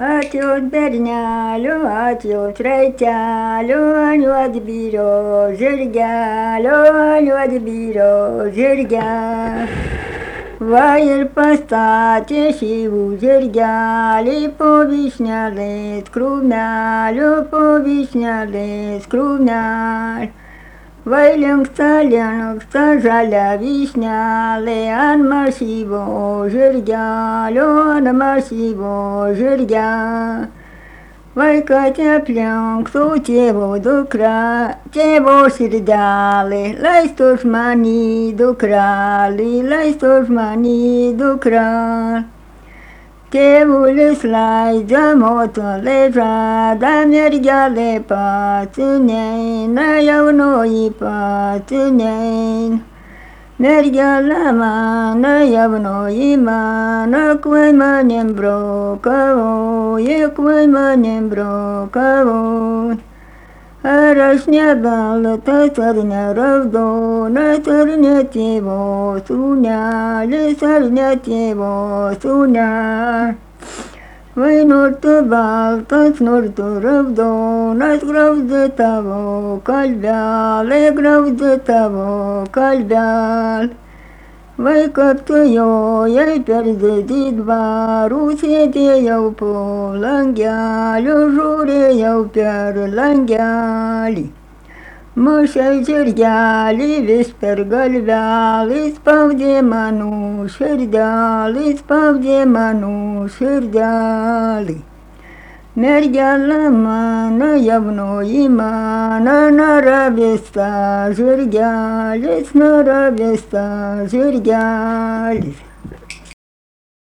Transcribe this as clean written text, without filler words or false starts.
Ačiū berneliu, ačiū sraigteliu, ant juodbėrio žirgelio, ant juodbėrio žirgelio. Va ir pastatė šyvų žirgelį po vyšnelės krūmeliu, po vyšnelės krūmeliu. Vai linksta žalia vyšnelė ant masyvo žirgelio, ant masyvo žirgelio. Vai kad aplinktų tėvo dukra, tėvo širdelė, leistų žmany dukrelį, leistų žmany dukrelį. Tėvulis leidžia, moterį žada, mergelė pati neina, jaunoji pati neina. Mergelė mano, jaunoji mano, kvai manim brokavoji, kvai manim brokavoji. Ar aš ne baltas, ar ne raudonas, ar ne tėvo sūnelis, ar ne tėvo sūnelis. Vai nors tu baltas, nors tu raudonas, graužia tavo kalbelė, graužia tavo kalbelė. Vai kaip tu jojai per didį dvarų, sėdėjau po langeliu, žiūrėjau per langelį. Mušai žirgelį vis per galvelį, spaudė mano širdelį, spaudė mano širdelį. Mergelė mano, jaunoji mano, naravista žirgelis, naravista žirgelis.